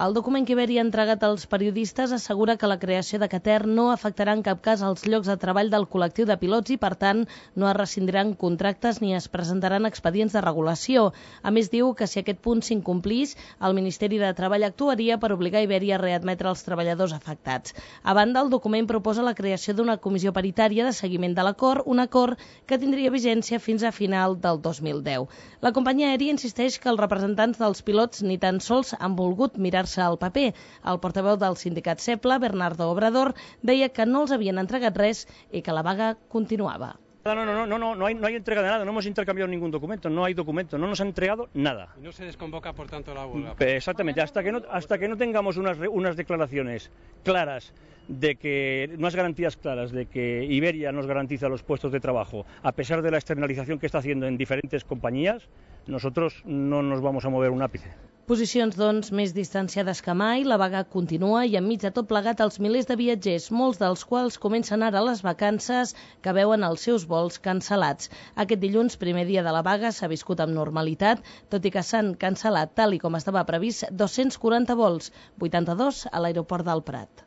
El document que Iberia ha entregat als periodistes assegura que la creació de Qatar no afectarà en cap cas els llocs de treball del col·lectiu de pilots i, per tant, no es rescindiran contractes ni es presentaran expedients de regulació. A més, diu que si aquest punt s'incomplís, el Ministeri de Treball actuaria per obligar Iberia a readmetre els treballadors afectats. A banda, el document proposa la creació d'una comissió paritària de seguiment de l'acord, un acord que tindria vigència fins a final del 2010. La companyia aèria insisteix que els representants dels pilots ni tan sols han volgut mirar-se al paper. El portaveu del sindicat CEPLA, Bernardo Obrador, deia que no els havien entregat res i que la vaga continuava. No hay entrega de nada, no hemos intercambiado ningún documento, no hay documento, no nos han entregado nada. Y no se desconvoca, por tanto, la huelga. Exactamente, hasta que no tengamos unas declaraciones claras de que, unas garantías claras de que Iberia nos garantiza los puestos de trabajo, a pesar de la externalización que está haciendo en diferentes compañías, nosotros no nos vamos a mover un ápice. Posicions, doncs, més distanciades que mai, la vaga continua i enmig de tot plegat els milers de viatgers, molts dels quals comencen ara les vacances, que veuen els seus vols cancel·lats. Aquest dilluns, primer dia de la vaga, s'ha viscut amb normalitat, tot i que s'han cancel·lat, tal i com estava previst, 240 vols, 82 a l'aeroport del Prat.